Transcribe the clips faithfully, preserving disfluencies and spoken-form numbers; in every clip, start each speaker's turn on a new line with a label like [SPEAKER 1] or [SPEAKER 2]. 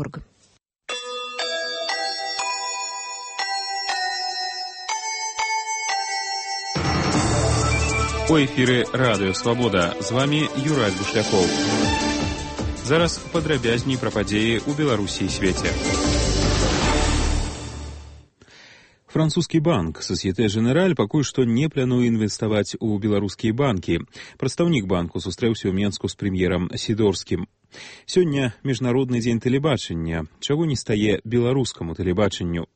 [SPEAKER 1] орг.
[SPEAKER 2] У эфіры Радыё Свабода. З вами Юрай Бушлякоў. Зараз падрабязней пра падзеі ў Беларусі і свеце. Французскі банк Société Générale пакуль што не плануе інвеставаць у беларускія банкі. Прадстаўнік банку сустрэўся ў Менску з прэм'ерам Сідорскім. Сёння міжнародны дзень тэлебачання. Чаго не стае беларускаму тэлебачанню?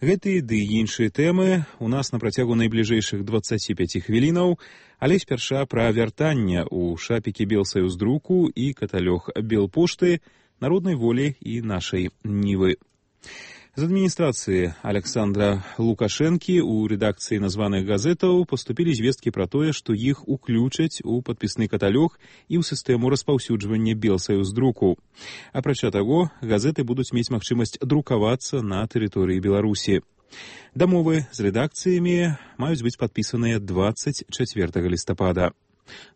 [SPEAKER 2] Гэтыя ды іншыя тэмы у нас на працягу найбліжэйшых дваццаці пяці хвілінаў, але спярша пра вяртанне ў шапікі Белсаюздруку і каталог Белпошты, Народнай волі і нашай Нівы. З адміністрацыі Александра Лукашэнкі ў рэдакцыі названых газетаў паступілі звесткі пра тое, што іх уключаць у падпісны каталог і ў сістэму распаўсюджвання Белсаюздруку. Апрача таго, газеты будуць мець магчымасць друкавацца на тэрыторыі Беларусі. Дамовы з рэдакцыямі маюць быць падпісаныя дваццаць чацвёртага лістапада.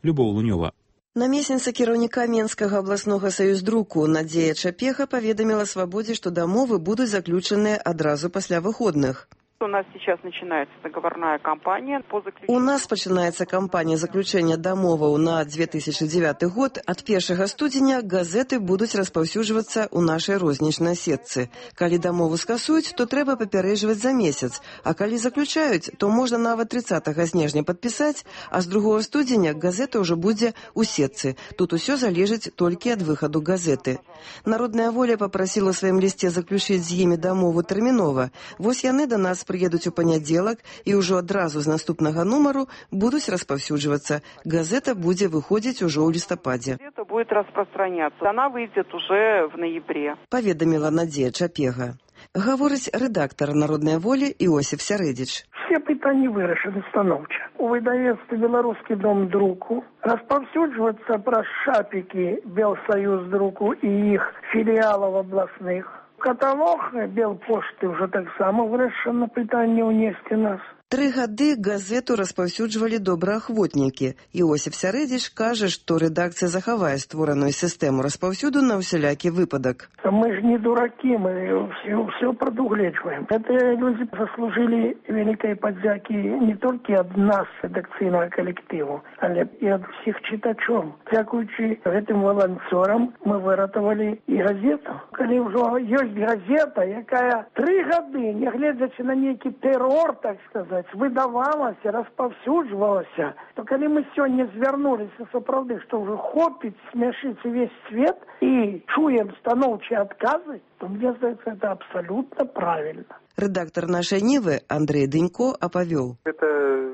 [SPEAKER 2] Любоў Лунёва.
[SPEAKER 3] Намесніца кіраўніка Менскага абласнога саюздруку Надзея Чапега паведаміла Свабодзе, што дамовы будуць заключаныя адразу пасля выходных.
[SPEAKER 4] У нас сейчас начинается договорная кампания по заключению.
[SPEAKER 3] У нас пачынаецца кампанія заключэння дамоваў на две тысячи девятый год. Ад першага студзеня газеты будуць распаўсюджвацца ў нашай рознічнай сетцы. Калі дамову скасуюць, то трэба папярэджваць за месяц, а калі заключаюць, то можна нават трыццатага снежня падпісаць, а з другога студзеня газета ўжо будзе ў сетцы. Тут усё залежыць толькі ад выхаду газеты. Народная воля папрасіла ў сваім лісце заключыць з імі дамову тэрмінова. Вось яны да нас приедуць у панядзелак і ўжо адразу з наступнага нумару будуць распаўсюджвацца. Газета будзе выходзіць ужо ў лістападзе.
[SPEAKER 4] Газета будет распространяться. Она выйдет уже в ноябре.
[SPEAKER 3] Паведаміла Надзея Чапега. Гаворыць рэдактар Народнай волі Іосиф Сярэдзіч.
[SPEAKER 5] Все пытанні вырашаны станоўча. У выдавецтве «Беларускі дом друку» распаўсюджвацца праз шапікі Белсаюздруку і іх філіалаў абласных. Каталог Белпошты ўжо таксама вырашана пытанне ўнесці нас.
[SPEAKER 3] Тры гады газету распаўсюджвалі добраахвотнікі. Іосиф Сярэдзіч кажа, што рэдакцыя захавае створаную сістэму распаўсюду на ўсялякі выпадак.
[SPEAKER 5] Мы ж не дуракі, мы все, все прадугледжваем. Гэтыя людзі заслужылі вялікай падзякі не толькі ад нас, рэдакцыйнага калектыву, але і ад усіх чытачоў. Дзякуючы гэтым валанцёрам мы выратавалі і газету. Калі ўжо ёсць газета, якая тры гады, нягледзячы на нейкі тэрор, так сказаць, выдавалася, распаўсюджвалася, то калі мы сёння звярнуліся сапраўды, што ўжо хопіць смяшыць увесь свет і чуем станоўчыя адказы, то мне здаецца, это абсалютна правільна.
[SPEAKER 3] Рэдактар нашай Нівы Андрэй Дынько апавёў.
[SPEAKER 6] Это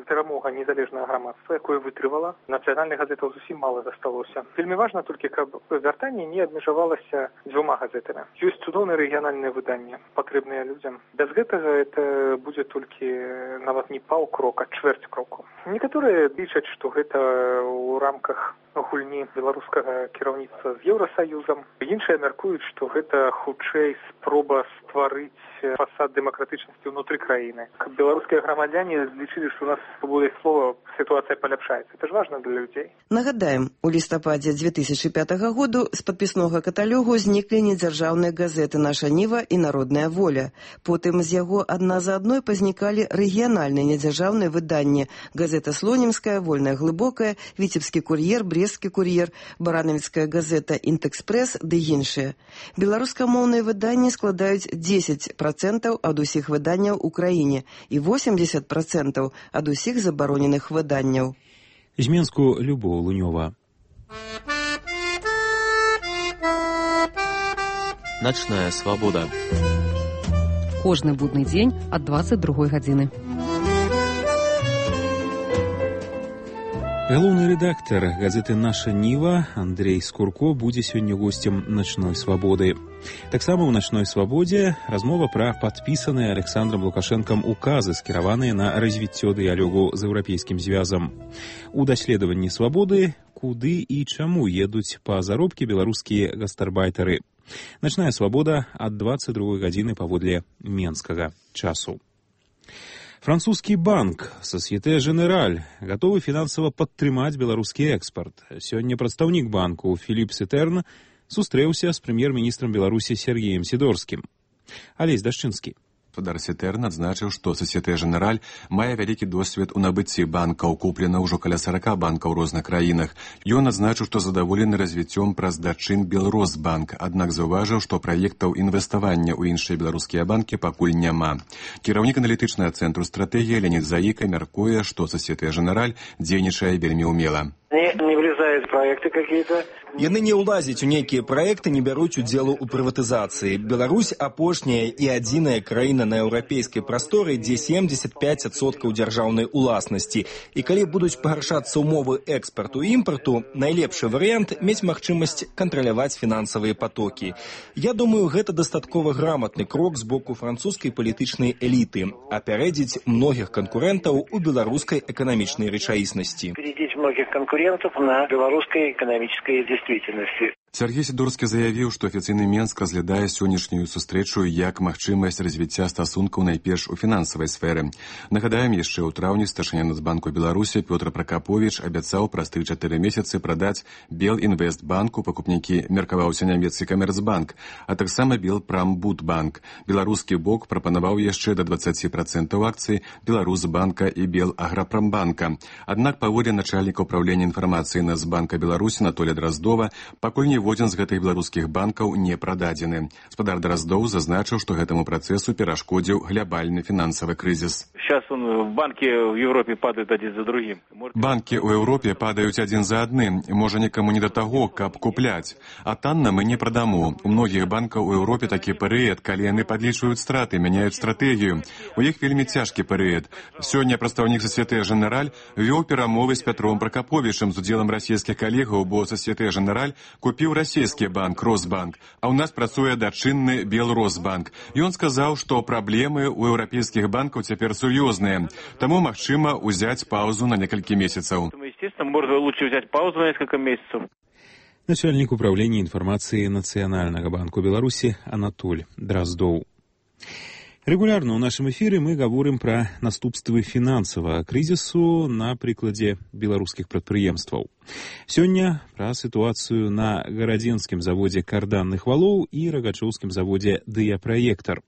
[SPEAKER 6] перамога незалежнага грамадства, якое вытрывала. Нацыянальных газетаў зусім мала засталося. Вельмі важна толькі, каб вяртанне не абмежавалася дзвюма газетамі. Ёсць цудоўныя рэгіянальныя выданні, патрэбныя людзям. Без гэтага это будзе толькі нават не паўкрока, чвэрць кроку. Некаторыя лічаць, што гэта ў рамках гульні беларускага кіраўніцтва з Еўрасаюзам. Іншыя мяркуюць, што гэта хутчэй спроба стварыць фасад дэмакратычнасці ўнутры краіны. Каб беларускія грамадзяне злічылі, што у нас свабодай слова сітуацыя паляпшаецца. Это ж важна для людзей.
[SPEAKER 3] Нагадаем, у лістападзе две тысячи пятага году з падпіснога каталогу зніклі недзяржаўныя газеты «Наша Ніва» і «Народная воля». Потым з яго адна за адной пазнікалі рэгіянальныя недзяржаўныя выданні. Газета «Слонімская», «Вольная глыбокая», «Віцебскі кур'ер», «Брестскі кур'ер», «Баранавіцкая газета», «Інтэкспрэс» ды іншыя. Беларускамоўныя выданні складаюць дзесяць працэнтаў ад усіх выданняў у краіне і восемьдесят працэнтаў ад усіх забароненых выданняў.
[SPEAKER 2] З Менску Любоў Лунёва.
[SPEAKER 1] Начная свабода. Кожны будны дзень ад дваццаць другой гадзіны.
[SPEAKER 2] Галоўны рэдактар газеты «Наша Ніва» Андрэй Скурко будзе сёння госцем «Начной свабоды». Таксама ў «Начной свабодзе» размова пра падпісаныя Александрам Лукашэнкам указы, скіраваныя на развіццё дыялогу з еўрапейскім звязам. У даследаванні свабоды куды і чаму едуць па заробкі беларускія гастарбайтары. «Начная свабода» ад дваццаць другой гадзіны паводле менскага часу. Французскі банк Société Générale гатовы фінансава падтрымаць беларускі экспарт. Сёння прадстаўнік банку Філіп Сетерн сустрэўся з прэм'ер-міністрам Беларусі Сергеем Сідорскім. Алесь Дашчынскі.
[SPEAKER 7] Гаспадар Сетэрн адзначыў, што Сасьете Женераль мае вялікі досвед у набыцці банкаў, куплена ўжо каля сорока банкаў у розных краінах. Ён адзначыў, што задаволены развіццём праз дачын Белросбанк, аднак заўважыў, што праектаў інвеставання ў іншыя беларускія банкі пакуль няма. Кіраўнік аналітычнага цэнтру стратэгіі Леонид Заіка мяркуе, што Сасьете Женераль дзейнічае вельмі ўмела.
[SPEAKER 8] Не, не влезают в проекты какие-то.
[SPEAKER 9] Яны не ўлазяць у нейкія праекты, не бяруць удзелу ў прыватызацыі. Беларусь апошняя і адзіная краіна на еўрапейскай прасторы, дзе семьдесят пять адсоткаў дзяржаўнай уласнасці. І калі будуць пагаршацца ўмовы экспарту і імпарту, найлепшы варыянт мець магчымасць кантраляваць фінансавыя потокі. Я думаю, гэта дастаткова граматны крок з боку французскай палітычнай эліты, апярэдзіць многіх канкурэнтаў у беларускай эканамічнай рэчаіснасці.
[SPEAKER 8] Перейдить многих конкурентов на белорусской экономической действительности.
[SPEAKER 7] Сергей Сідорскі заявіў, што афіцыйны Менск разглядае сённяшнюю сустрэчу як магчымасць развіцця стасункаў найперш у фінансавай сферы. Нагадаем, яшчэ ў траўні старшыня Нацбанку Беларусі Пётр Пракаповіч абяцаў праз тры-чатыры месяцы прадаць Белінвестбанку, пакупнікі меркаваўся нямецкі Камерцбанк, а таксама Белпрамбудбанк. Беларускі бок прапанаваў яшчэ да дваццаць працэнтаў акцый Беларусбанка і Белаграпрамбанка. Аднак паводле начальніка ўпраўлення інфармацыі Нацбанка Беларусі Анатолія Драздова, пакуль не ніводзін з гэтых беларускіх банкаў не прададзены. Гаспадар Драздоў зазначыў, што гэтаму працэсу перашкодзіў глобальны фінансавы крызіс.
[SPEAKER 10] Сейчас он, банки в Европе падают один за другим.
[SPEAKER 7] Банкі ў Еўропе падаюць адзін за адным. Можа, нікаму не да таго, каб купляць. А танна мы не прадаму. У многіх банкаў у Еўропе такі перыяд, калі яны падлічваюць страты, мяняюць стратэгію. У іх вельмі цяжкі перыяд. Сёння прадстаўнік Сасьете Женераль вёў перамовы з Пятром Пракаповічам з удзелам расійскіх калегаў, бо Сасьете Женераль купіў расійскі банк Росбанк, а ў нас працуе дачынны Белросбанк. Ён сказаў, што праблемы ў еўрапейскіх банкаў цяпер сур'ёзныя, таму магчыма ўзяць паўзу на некалькі месяцаў.
[SPEAKER 10] Естественно, можно лучше взять паузу на несколько месяцев.
[SPEAKER 2] Начальник управления информации Национального банка Беларуси Анатоль Драздоў. Регулярно ў нашым эфіры мы гаворым пра наступствы фінансавага крызісу на прыкладзе беларускіх прадпрыемстваў. Сёння пра сітуацыю на гарадзенскім заводзе карданных валоў і рагачоўскім заводзе «Дыяпраектар».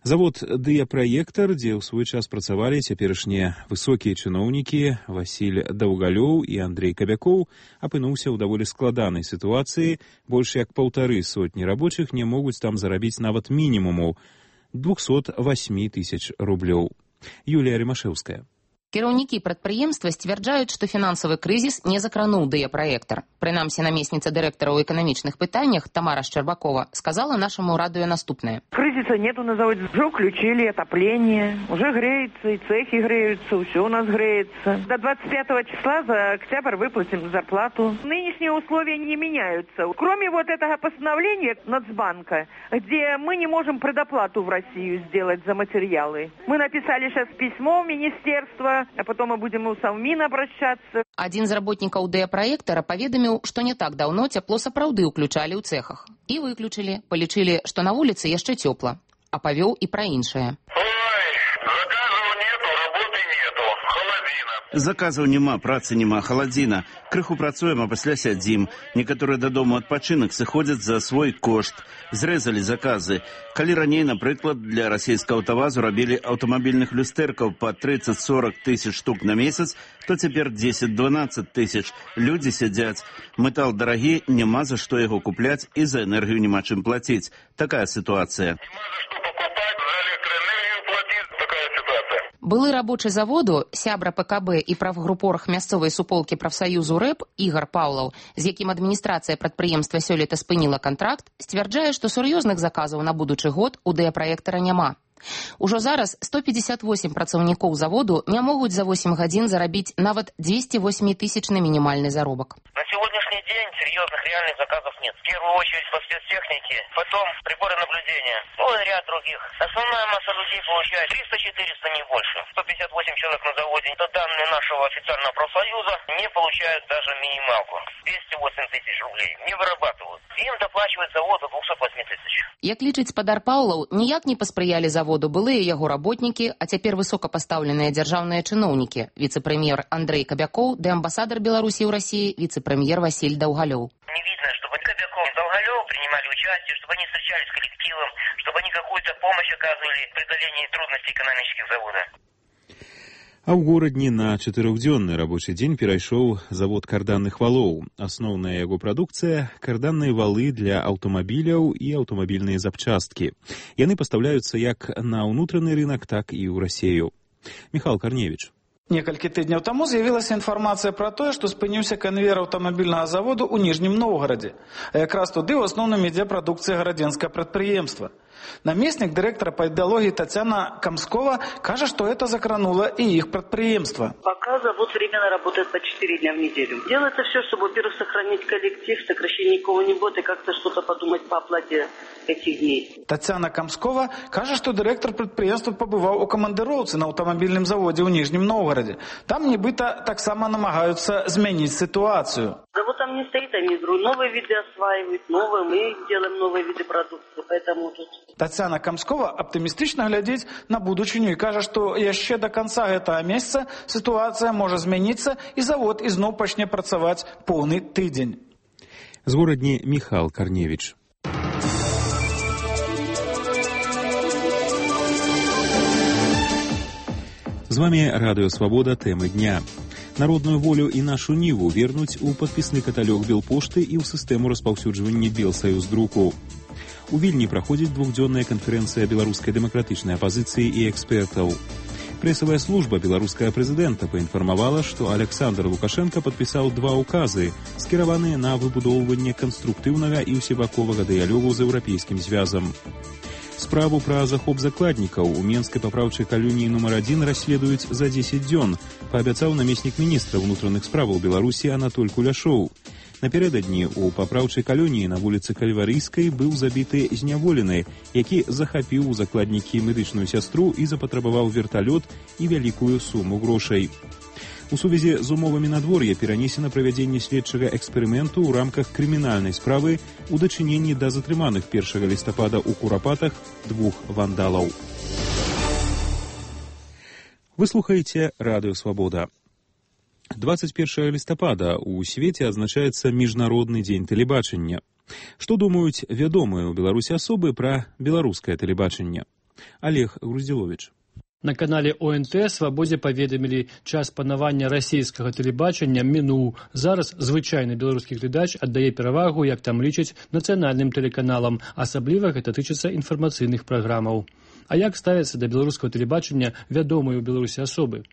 [SPEAKER 2] Завод «Дыяпраектар», дзе ў свой час працавалі цяперашнія высокія чыноўнікі Васіль Даўгалёў і Андрей Кабякоў, апынуўся ў даволі складанай сітуацыі. Больш як паўтары сотні рабочых не могуць там зарабіць нават мінімуму двухсот восьми тысяч рублёў. Юлія Римашэўская.
[SPEAKER 11] Кіраўнікі прадпрыемства сцвярджаюць, што фінансавы крызіс не закрануў «Дыяпраектар». Прынамсі, намесніца дырэктара ў эканамічных пытаннях Тамара Шчербакова сказала нашаму радыё наступнае.
[SPEAKER 4] Кризиса нету на заводе. Уже включили отопление, уже греется, и цехи греются, все у нас греется. До двадцать пятого числа за октябрь выплатим зарплату. Нынешние условия не меняются. Кроме вот этого постановления Нацбанка, где мы не можем предоплату в Россию сделать за материалы. Мы написали сейчас письмо в министерство, а потом мы будем у Совмин обращаться.
[SPEAKER 11] Адзін з работнікаў «Дыяпраектара» паведаміў, што не так даўно цяпло сапраўды ўключалі ў цэхах. І выключылі, палічылі, што на вуліцы яшчэ цёпла. А павёў і пра іншае.
[SPEAKER 12] Заказаў няма, працы няма, халадзіна. Крыху працуем, а пасля сядзім. Некаторыя дадому адпачынак сыходзяць за свой кошт. Зрэзалі заказы. Калі раней, напрыклад, для расійскага аўтавазу рабілі аўтамабільных люстэркаў па тридцать-сорок тысяч штук на месяц, то цяпер дзесяць-дванаццаць тысяч. Людзі сядзяць. Метал дарагі, няма за што яго купляць і за энергію няма чым плаціць. Такая сітуацыя.
[SPEAKER 11] Былы рабочы заводу, сябра ПКБ і правгрупорах мясцовай суполкі прафсаюзу РЭП Ігар Паўлаў, з якім адміністрацыя прадпрыемства сёлета спыніла кантракт, сцвярджае, што сур'ёзных заказаў на будучы год у «Дыяпраектара» няма. Ужо зараз сто пятьдесят восемь працаўнікоў заводу не могуць за восемь гадзін зарабіць нават двести восьмитысячны минимальный заробак.
[SPEAKER 13] На сегодняшний день серьезных реальных заказов нет. В первую очередь по спецтехнике, потом приборы наблюдения, ну и ряд других. Основная масса людей получает триста-четыреста, не больше. сто пятьдесят восемь человек на заводе. Это данные нашего официального профсоюза, не получают даже минималку. двести восемь тысяч рублей. Не вырабатывают. Им доплачивает завод до двухсот восьми тысяч.
[SPEAKER 11] Як лічыць спадар Паўлаў, ніяк не паспрыялі заводу былыя яго работнікі, а цяпер высокапастаўленыя дзяржаўныя чыноўнікі, віцэ-прэм'ер Андрей Кабякоў ды амбасадар Беларусі ў Расіі, віцэ-прэм'ер Васіль Даўгалёў.
[SPEAKER 13] Не видно, чтобы Кобяков, Долголев участие, чтобы они встречались с коллективом, чтобы они какую-то помощь оказывали в преодолении трудностей экономических завода.
[SPEAKER 2] А ў горадні на чатырохдзённы рабочы дзень перайшоў завод карданных валоў. Асноўная яго прадукцыя – карданныя валы для аўтамабіляў і аўтамабільныя запчасткі. Яны пастаўляюцца як на ўнутраны рынак, так і ў Расею. Михал Карневіч.
[SPEAKER 14] Некалькі тыдняў таму з'явілася інфармацыя пра тое, што спыніўся канвеер аўтамабільнага заводу ў Ніжнім Новгарадзе. А якраз туды ў асноўным ідзе прадукцыя гарадзенскага прадпрыемства. Наместник директора по идеологии Татьяна Камскова кажет, что это закрануло и их предприемство.
[SPEAKER 15] Пока завод временно работает по четыре дня в неделю. Делается все, чтобы, во-первых, сохранить коллектив, сокращение кого-нибудь и как-то что-то подумать по оплате этих дней.
[SPEAKER 14] Татьяна Камскова кажет, что директор предприемства побывал у командировцы на автомобильном заводе в Нижнем Новгороде. Там нібито так само намагаются изменить ситуацию.
[SPEAKER 15] Завод там не стоит, они новые виды осваивают, новые, мы делаем новые виды продукции, поэтому тут...
[SPEAKER 14] Татьяна Камскова оптимистично глядит на будущее и кажет, что еще до конца этого месяца ситуация может измениться и завод изноў пачне працаваць полный тыдзень.
[SPEAKER 2] З горадні Михал Карневіч. З вами Радыё Свабода, тэмы дня. Народную волю і нашу ніву вернуць у падпісны каталог Белпошты і ў сістэму распаўсюджвання Белсаюздруку. У Вільні праходзіць двухдзённая канферэнцыя беларускай дэмакратычнай апазіцыі і экспертаў. Прэсавая служба беларускага прэзідэнта паінфармавала, што Александр Лукашенко падпісаў два ўказы, скіраваныя на выбудоўванне канструктыўнага і ўсебаковага дыялогу з еўрапейскім звязам. Справу пра захоп закладнікаў у Менскай папраўчай калоніі нумар адзін расследуюць за дзесяць дзён, паабяцаў намеснік міністра ўнутраных справаў Беларусі Анатоль Куляшоў. Напярэдадні ў папраўчай калоніі на вуліцы Кальварыйскай быў забіты зняволены, які захапіў у закладнікі медычную сястру і запатрабаваў верталёт і вялікую суму грошай. У сувязі з умовамі надвор'я перанесена правядзенне следчага эксперыменту ў рамках крымінальнай справы ў дачыненні да затрыманых першага лістапада ў Курапатах двух вандалаў. Вы слухаеце Радыё Свабода. двадцать первого листопада у свеце адзначаецца міжнародны дзень тэлебачання. Што думаюць вядомыя ў Беларусі асобы пра беларускае тэлебачанне? Олег Груздзіловіч.
[SPEAKER 16] На канале О Н Т «Свабодзе» паведамілі, час панавання расійскага тэлебачання мінуў. Зараз звычайны беларускі глядач аддае перавагу, як там лічаць, нацыянальным тэлеканалам, асабліва гэта тычыцца інфармацыйных праграмаў. А як ставяцца да беларускага тэлебачання вядомыя ў Беларусі асобы?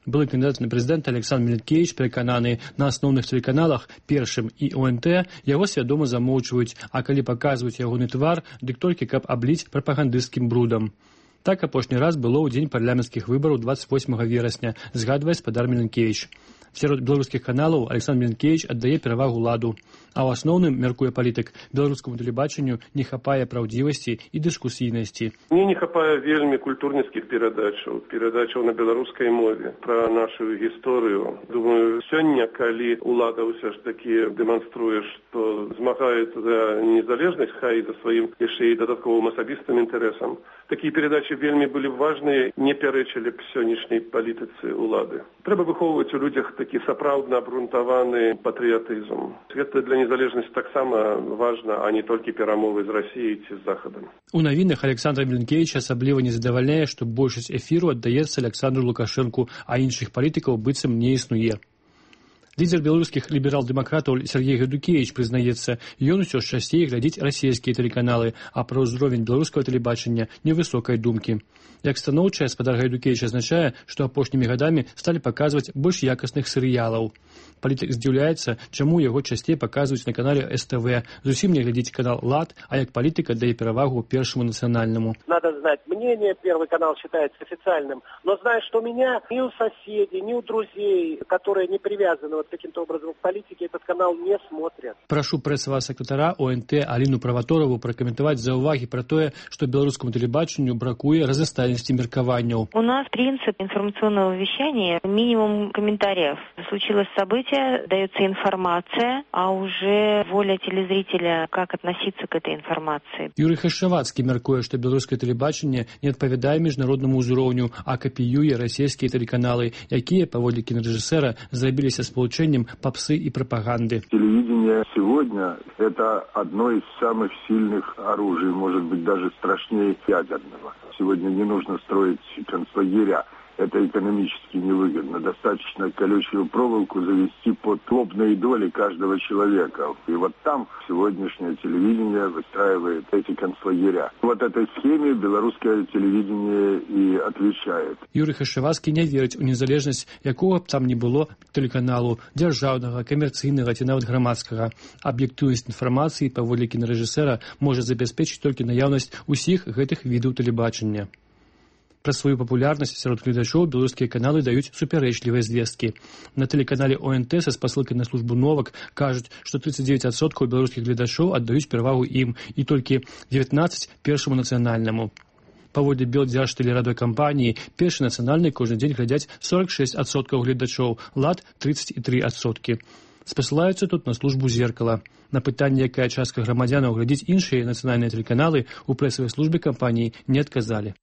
[SPEAKER 16] Былы кандыдат на прэзідэнта Александр Мілінкевіч перакананы, на асноўных тэлеканалах Першым і О Н Т яго свядома замоўчваюць, а калі паказваюць ягоны твар, дык толькі каб абліць прапагандысцкім брудам. Так апошні раз было ў дзень парламенцкіх выбараў двадцать восьмага верасня, згадвае спадар Мілінкевіч. Сярод беларускіх каналаў Александр Мілінкевіч аддае перавагу ладу. А ў асноўным, мяркуе палітык, беларускаму тэлебачанню не хапае праўдзівасці і дыскусійнасці.
[SPEAKER 17] Мне не хапае вельмі культурніцкіх перадачаў, перадачаў на беларускай мове пра нашу гісторыю. Думаю, сёння, калі ўлада ўсё ж такі дэманструе, што змагаецца за незалежнасць, хай за сваім яшчэ і дадатковым асабістым інтарэсам, такія перадачы вельмі былі важныя, не пярэчылі б сённяшняй палітыцы ўлады. Трэба выхоўваць у людзях такі сапраўдна абрунтаваны патрыятызм. Гэта для незалежнасці таксама важна, а не толькі перамовы з Расіяй ці з Захадам.
[SPEAKER 16] У навінах Александра Мілінкевіча асабліва не задавальняе, што большасць эфіру аддаецца Александру Лукашэнку, а іншых палітыкаў быццам не існуе. Лідер беларускіх ліберал-дэмакратаў Сергей Гадукевич прызнаецца, ён усё ж часцей глядзіць расійскія тэлеканалы, а пра ўзровень беларускага тэлебачання невысокай думкі. Як станоўчая, спадар Гайдукевич азначае, што апошнімі гадамі сталі паказваць больш якасных серыялаў. Палітык здзіўляецца, чаму яго часцей паказваюць на канале С Т В. Зусім не глядзіць канал «Лад», а як палітык аддае перавагу Першаму нацыянальнаму.
[SPEAKER 18] Надо знать мнение, Первый канал считается официальным, но знаешь, что у меня ни у соседей, ни у друзей, которые не привязаны вот каким-то образом к политике, этот канал не смотрят.
[SPEAKER 16] Прашу прэсавага сакратара О Н Т Аліну Праваторову пракаментаваць заўвагі пра тое, што беларускаму тэлебачанню бракуе разнастайнасці меркаванняў.
[SPEAKER 19] У нас принцип информационного вещания минимум комментариев. Случилось событие, дается информация, а уже воля телезрителя, как относиться к этой информации.
[SPEAKER 16] Юрий Хашавацкі мяркуе, што беларускае тэлебачанне не адпавядае міжнароднаму ўзроўню, а капіюе расійскія тэлеканалы, якія, паводле кінарэжысэра, зрабіліся спалучэннем увеличением попсы и пропаганды.
[SPEAKER 20] Телевидение сегодня – это одно из самых сильных оружий, может быть, даже страшнее ядерного. Сегодня не нужно строить концлагеря. Это экономически невыгодно. Достаточно колючую проволоку завести под лобные доли каждого человека. И вот там сегодняшнее телевидение выстраивает эти концлагеря. Вот этой схеме белорусское телевидение и отвечает.
[SPEAKER 16] Юрий Хашевацкий не верит у незалежность, якого б там не было телеканалу, державного, коммерційного ці нават громадского. Объективность информации, паводле кінорежисера, может забеспечить только наявность усіх гэтых видов телебачення. Пра сваю папулярнасць сярод гледачоў беларускія каналы даюць супярэчлівыя звесткі. На тэлеканале О Н Т са спасылкай на службу новак кажуць, што тридцать девять адсоткаў беларускіх гледачоў аддаюць перавагу ім і толькі девятнадцать першаму нацыянальнаму. Паводле Белдзяржтэлерадыёкампаніі першы нацыянальны кожны дзень глядзяць сорок шесть адсоткаў гледачоў, лад тридцать три адсоткі. Спасылаюцца тут на службу «Зеркала». На пытанне, якая частка грамадзянаў глядзіць іншыя нацыянальныя тэлеканалы, у прэсавай службе кампаніі не адказалі.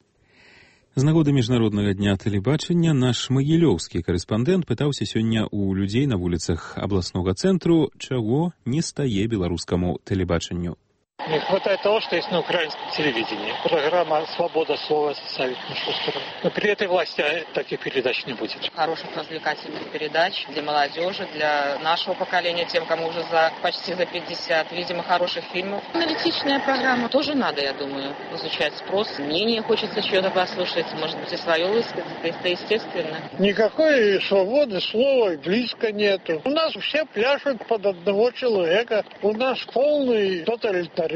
[SPEAKER 2] З нагоды міжнароднага дня тэлебачання наш магілёўскі карэспандэнт пытаўся сёння ў людзей на вуліцах абласнога цэнтру, чаго не стае беларускаму тэлебачанню.
[SPEAKER 21] Не хватает того, что есть на украинском телевидении. Программа «Свобода слова» ставит нашу сторону. Но при этой власти таких передач не будет.
[SPEAKER 22] Хороших развлекательных передач для молодежи, для нашего поколения, тем, кому уже за почти за пятьдесят. Видимо, хороших фильмов. Аналитичная программа тоже надо, я думаю, изучать спрос. Мнение хочется чего-то послушать, может быть, и свое высказать. Это естественно.
[SPEAKER 21] Никакой свободы слова близко нету. У нас все пляшут под одного человека. У нас полный тоталитаризм.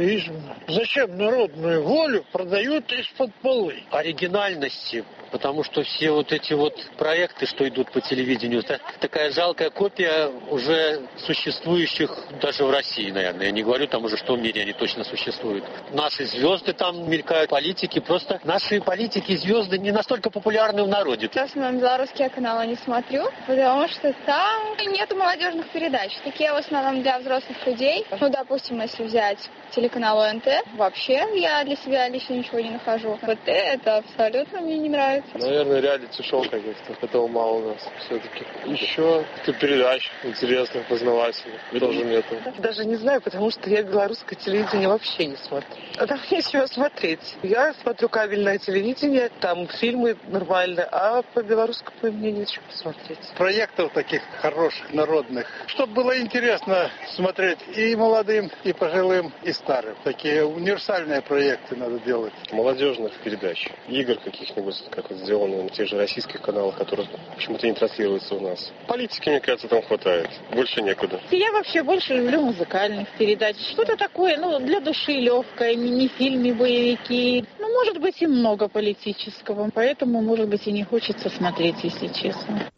[SPEAKER 21] Зачем народную волю продают из-под полы?
[SPEAKER 23] Оригинальности, потому что все вот эти вот проекты, что идут по телевидению, это такая жалкая копия уже существующих даже в России, наверное. Я не говорю там уже, что в мире они точно существуют. Наши звезды там мелькают, политики. Просто наши политики и звезды не настолько популярны в народе.
[SPEAKER 24] Сейчас на белорусские каналы не смотрю, потому что там нету молодежных передач. Такие в основном для взрослых людей. Ну, допустим, если взять телеканал О Н Т, вообще я для себя лично ничего не нахожу. Вот это абсолютно мне не нравится.
[SPEAKER 25] Наверное, реалити-шоу каких-то. Этого мало у нас все-таки. Еще передач интересных, познавательных тоже нету.
[SPEAKER 26] Даже не знаю, потому что я белорусское телевидение вообще не смотрю. А там нечего смотреть. Я смотрю кабельное телевидение, там фильмы нормальные, а по белорусскому мне нечего смотреть.
[SPEAKER 21] Проектов таких хороших, народных, чтобы было интересно смотреть и молодым, и пожилым, и старым. Такие универсальные проекты надо делать.
[SPEAKER 25] Молодежных передач, игр каких-нибудь, как вот сделано на тех же российских каналах, которые почему-то не транслируются у нас. Политики, мне кажется, там хватает. Больше некуда.
[SPEAKER 27] Я вообще больше люблю музыкальных передач. Что-то такое, ну, для души легкое, мини-фильмы, боевики. Ну, может быть, и много политического. Поэтому, может быть, и не хочется смотреть, если честно.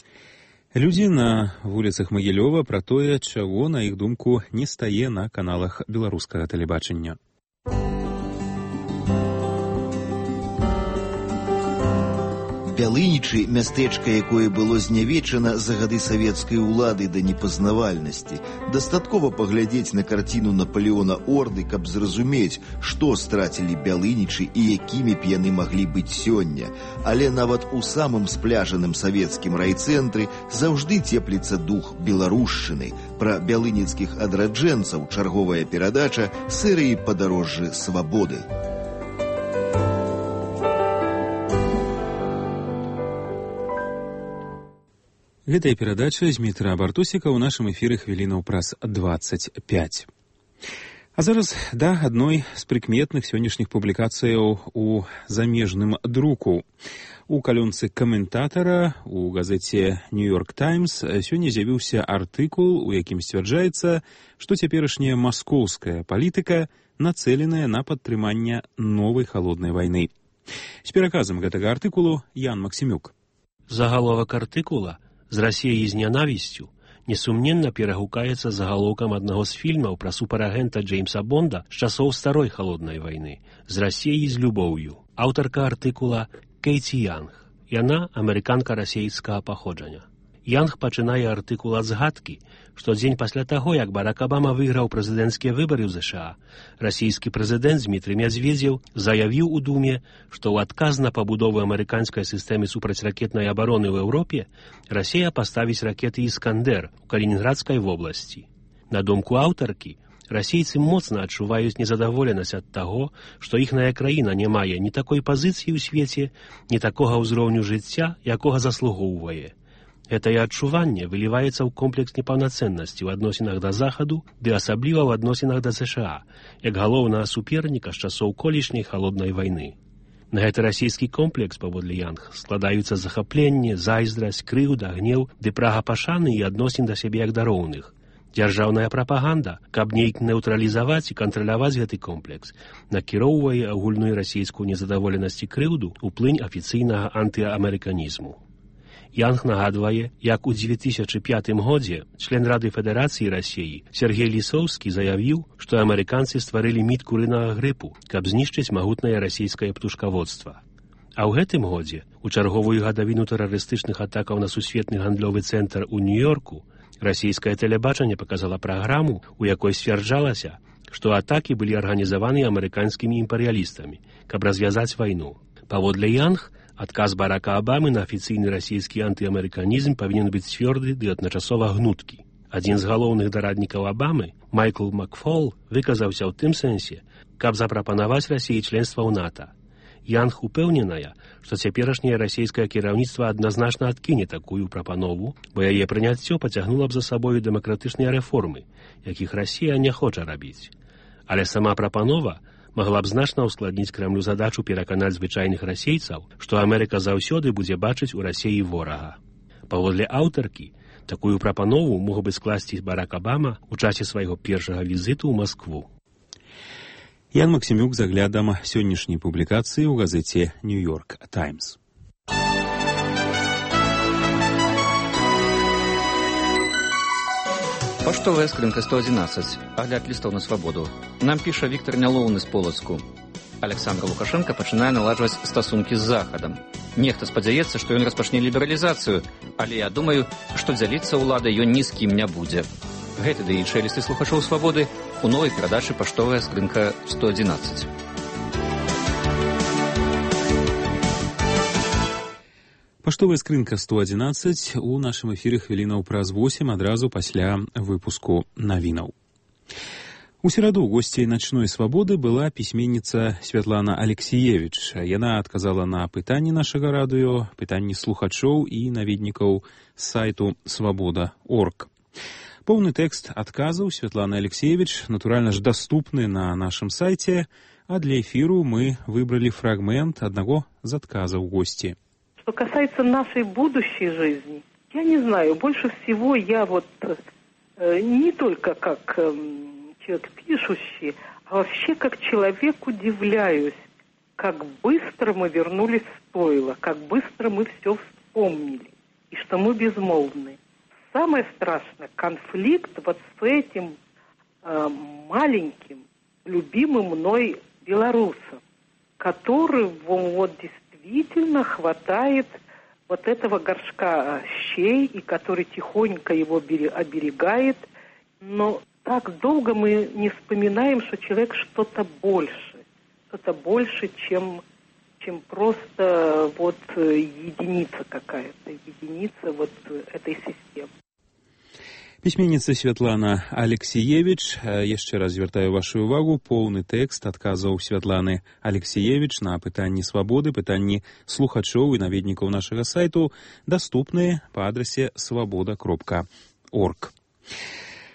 [SPEAKER 2] Людзі на вуліцах Магілёва пра тое, чаго, на іх думку, не стае на каналах беларускага тэлебачання.
[SPEAKER 28] Бялынічы, мястэчка, якое было знявечана за гады савецкай улады да непазнавальнасці. Дастаткова паглядзець на карціну Наполеона Орды, каб зразумець, што страцілі бялынічы і якімі б яны маглі быць сёння. Але нават у самым спляжаным савецкім райцэнтры заўжды цепліцца дух беларушчыны. Пра бялыніцкіх адраджэнцаў чарговая перадача серыі «Падарожжы свабоды».
[SPEAKER 2] Гэтая перадача з Дмітра Бартусіка ў нашым эфіры хвілінаў праз двадцать пять. А зараз да адной з прыкметных сённяшніх публікацыяў у замежным друку. У калёнцы каментатара у газеце «Нью-Йорк Таймс» сёння з'явіўся артыкул, у якім сцвярджаецца, што цяперашняя маскоўская палітыка нацэленая на падтрыманне новай халоднай вайны. З пераказам гэтага артыкулу Ян Максімюк.
[SPEAKER 29] Загаловак артыкула «З Расіяй з нянавісцю» несумненна перагукаецца загалоўкам аднаго з фільмаў пра суперагента Джеймса Бонда з часоў старой халоднай вайны «З Расіяй з любоўю». Аўтарка артыкула Кейці Янг. Яна амерыканка расейскага паходжання. Янг пачынае артыкул ад згадкі, што дзень пасля таго, як Барак Абама выйграў прэзідэнцкія выбары ў ЗША, расійскі прэзідэнт Дмітрый Медведзеў заявіў у Думе, што ў адказ на пабудову амерыканскай сістэмы супрацьракетнай абароны ў Еўропе Расія паставіць ракеты «Іскандер» у Калінінградскай вобласці. На думку аўтаркі, расейцы моцна адчуваюць незадаволенасць ад таго, што іхная краіна не мае ні такой пазіцыі ў свеце, ні такога ўзроўню жыцця, якога заслугоўвае. Гэтае адчуванне выліваецца ў комплекс непаўнацэннасці ў адносінах да Захаду, ды асабліва ў адносінах да ЗША, як галоўнага суперніка з часоў колішняй халоднай вайны. На гэты расійскі комплекс, паводле Янг, складаюцца захапленне, зайздрасць, крыўда, гнеў ды прага пашаны і адносін да сябе як да роўных. Дзяржаўная прапаганда, каб нейк нейтралізаваць і кантраляваць гэты комплекс, накіроўвае агульную расійскую незадаволенасць і крыўду ў плынь афіцыйнага антыамерыканізму. Янг нагадвае, як у дзве тысячы пятым годзе член Рады Федэрацыі Расіі Сергей Лісоўскі заявіў, што амерыканцы стварылі міт курынага грыпу, каб знішчыць магутнае расійскае птушкаводства. А ў гэтым годзе, у чарговую гадавіну тэрарыстычных атакаў на сусветны гандлёвы цэнтр у Нью-Йорку, расійскае тэлебачанне паказала праграму, у якой сцвярджалася, што атакі былі арганізаваны амерыканскімі імперыялістамі, каб развязаць вайну. Паводле Янг, адказ Барака Абамы на афіцыйны расійскі антыамерыканізм павінен быць цвёрды ды адначасова гнуткі. Адзін з галоўных дараднікаў Абамы, Майкл Макфол, выказаўся ў тым сэнсе, каб запрапанаваць Расіі членства ў НАТО. Янг упэўненая, што цяперашняе расійскае кіраўніцтва адназначна адкіне такую прапанову, бо яе прыняццё пацягнула б за сабою дэмакратычныя рэформы, якіх Расія не хоча рабіць. Але сама прапанова магла б значна ўскладніць Крэмлю задачу пераканаць звычайных расейцаў, што Амерыка заўсёды будзе бачыць у Расіі ворага. Паводле аўтаркі, такую прапанову мог бы скласці Барак Абама ў часе свайго першага візіту ў Маскву.
[SPEAKER 2] Ян Максімюк з аглядам сённяшняй публікацыі ў газеце «Нью-Йорк Таймс».
[SPEAKER 1] Паштовая скрынка сто адзінаццаць. Агляд лістаў на свабоду. Нам піша Віктор Нялоўны з Полацку. Александр Лукашенко пачынае наладжваць стасункі з Захадам. Нехта спадзяецца, што ён распачне лібералізацыю, але я думаю, што дзяліцца ўладай ён ні з кім не будзе. Гэты ды іншыя лісты слухачоў свабоды у новай перадачы «Паштовая скрынка сто адзінаццаць».
[SPEAKER 2] Паштовая скрынка сто адзінаццаць у нашым эфіры хвілінаў праз восем адразу пасля выпуску навінаў. У сераду госцей «Начной свабоды» была пісьменніца Святлана Алексіевіч. Яна адказала на пытанні нашага радыё, пытанні слухачоў і наведнікаў з сайту свабода точка орг. Поўны тэкст адказаў Святланы Алексеевич, натуральна ж, даступны на нашым сайце, а для эфіру мы выбрали фрагмент одного из отказов гости.
[SPEAKER 3] Что касается нашей будущей жизни, я не знаю, больше всего я вот э, не только как э, человек пишущий, а вообще как человек удивляюсь, как быстро мы вернулись в стойло, как быстро мы все вспомнили, и что мы безмолвны. Самое страшное — конфликт вот с этим э, маленьким, любимым мной белорусом, которого вот действительно хватает вот этого горшка щей, и который тихонько его оберегает. Но так долго мы не вспоминаем, что человек что-то больше, что-то больше, чем, чем просто вот единица какая-то, единица вот этой системы.
[SPEAKER 2] Пісьменніца Святлана Алексіевіч, яшчэ раз звяртаю вашу увагу, поўны тэкст адказаў Святланы Алексіевіч на пытанні свабоды, пытанні слухачоў і наведнікаў нашага сайту, даступныя па адрасе свабода кропка орг.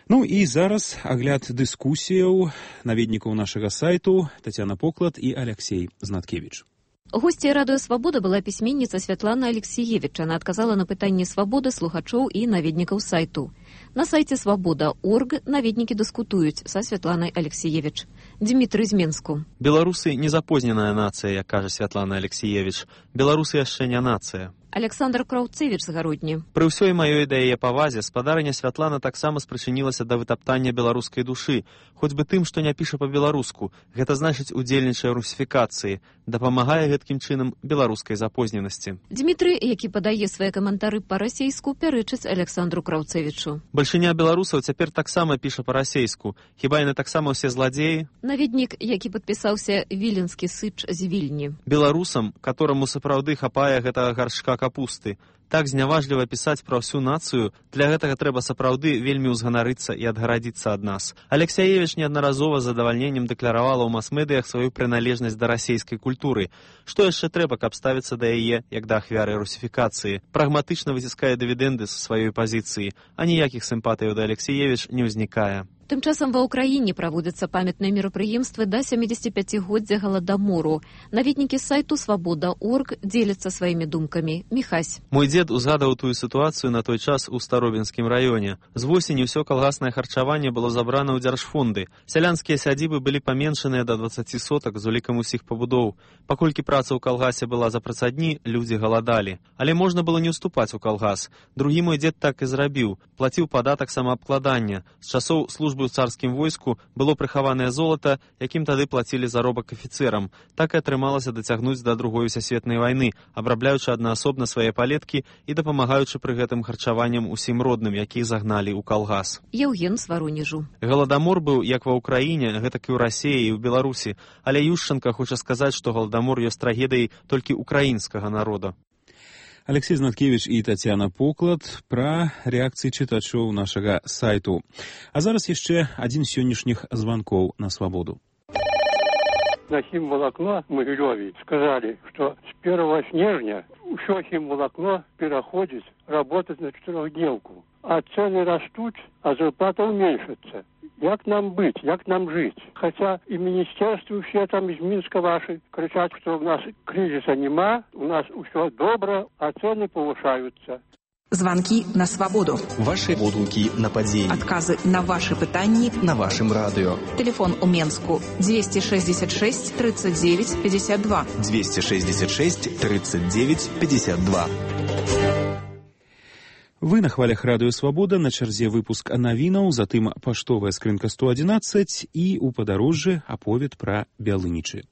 [SPEAKER 2] Ну і зараз агляд дыскусіяў наведнікаў нашага сайту Тацяна Поклад і Алексей Знаткевич.
[SPEAKER 4] Госцей радыё «Свабода» была пісьменніца Святлана Алексіевіч. Она адказала на пытанні свабоды слухачоў і наведнікаў сайту. На сайце свабода точка орг наведнікі дыскутуюць са Святланай Алексіевіч. Дмітрый з Менску.
[SPEAKER 5] Беларусы не запозненая нацыя, як кажа Святлана Алексіевіч. Беларусы яшчэ не нацыя.
[SPEAKER 4] Александр Краўцевіч з Гародні.
[SPEAKER 5] Пры ўсёй маёй да яе павазе спадарыня Святлана таксама спрычынілася да вытаптання беларускай душы, хоць бы тым, што не піша па-беларуску, гэта значыць удзельнічае ў русіфікацыі, дапамагае гэткім чынам беларускай запозненасці.
[SPEAKER 4] Дмітрый, які падае свае каментары па-расейску, пярэчыць Александру Краўцевічу.
[SPEAKER 5] Бальшыня беларусаў цяпер таксама піша па-расейску. Хіба яны таксама ўсе зладзеі?
[SPEAKER 4] Наведнік, які падпісаўся віленскі сыч з Вільні.
[SPEAKER 5] Беларусам, которому сапраўды хапае гэтага гаршка капусты. Так зняважліва пісаць пра ўсю нацыю, для гэтага трэба сапраўды вельмі ўзганарыцца і адгарадзіцца ад нас. Алексіевіч неаднаразова з задавальненнем дэкларавала ў мас-медыях сваю прыналежнасць да расейскай культуры. Што яшчэ трэба, каб ставіцца да яе, як да ахвяры русіфікацыі? Прагматычна выціскае дывідэнды са сваёй пазіцыі, а ніякіх сімпатыяў да Алексіевіч не ўзнікае.
[SPEAKER 4] Тым часам ва ўкраіне праводзяцца памятныя мерапрыемствы да сямідзесяціпяцігоддзя Галадамору. Наведнікі сайту свабода точка орг дзеляцца сваімі думкамі. Міхась.
[SPEAKER 5] Мой дзед узгадаў тую сітуацыю на той час у Старобінскім раёне. З восені ўсё калгаснае харчаванне было забрана ў дзяржфонды. Сялянскія сядзібы былі паменшаныя да дваццаці сотак з улікам усіх пабудоў. Паколькі праца ў калгасе была за працадні, людзі галадалі. Але можна было не ўступаць у калгас. Другі мой дзед так і зрабіў. Плаціў падатак самаабкладання. З часоў службы у царскім войску было прыхаванае золата, якім тады плацілі заробак афіцэрам. Так і атрымалася дацягнуць да другой сусветнай вайны, абрабляючы аднаасобна свае палеткі і дапамагаючы пры гэтым харчаваннем усім родным, якіх загналі ў калгас.
[SPEAKER 4] Еўген з Варонежу.
[SPEAKER 5] Галадамор быў як ва ўкраіне, гэтак і ў Расіі і ў Беларусі, але Юшчанка хоча сказаць, што галадамор ёсць трагедыяй толькі украінскага народа.
[SPEAKER 2] Алексей Знаткевич і Тацяна Поклад пра рэакцыі чытачоў нашага сайту. А зараз яшчэ адзін з сённяшніх званкоў на свабоду.
[SPEAKER 6] На хімвалакно в Могилеве сказали, что с первого снежня все химволокно переходит работать на четырехдневку. А цены растут, а зарплата уменьшится. Як нам быть, як нам жить? Хотя и министерство все там из Минска ваши кричат, что у нас кризиса нема, у нас все добро, а цены повышаются.
[SPEAKER 7] Звонки на свободу.
[SPEAKER 8] Ваши водгуки на подзеі.
[SPEAKER 7] Отказы на ваши пытанні
[SPEAKER 8] на вашем радио.
[SPEAKER 7] Телефон у Менску двести шестьдесят шесть тридцать девять пятьдесят два.
[SPEAKER 8] двести шестьдесят шесть тридцать девять пятьдесят два.
[SPEAKER 2] Вы на хвалях радыё «Свабода», на чарзе выпуск навінаў, затым паштовая скрынка сто адзінаццаць і ў падарожжы аповед пра Бялынічы.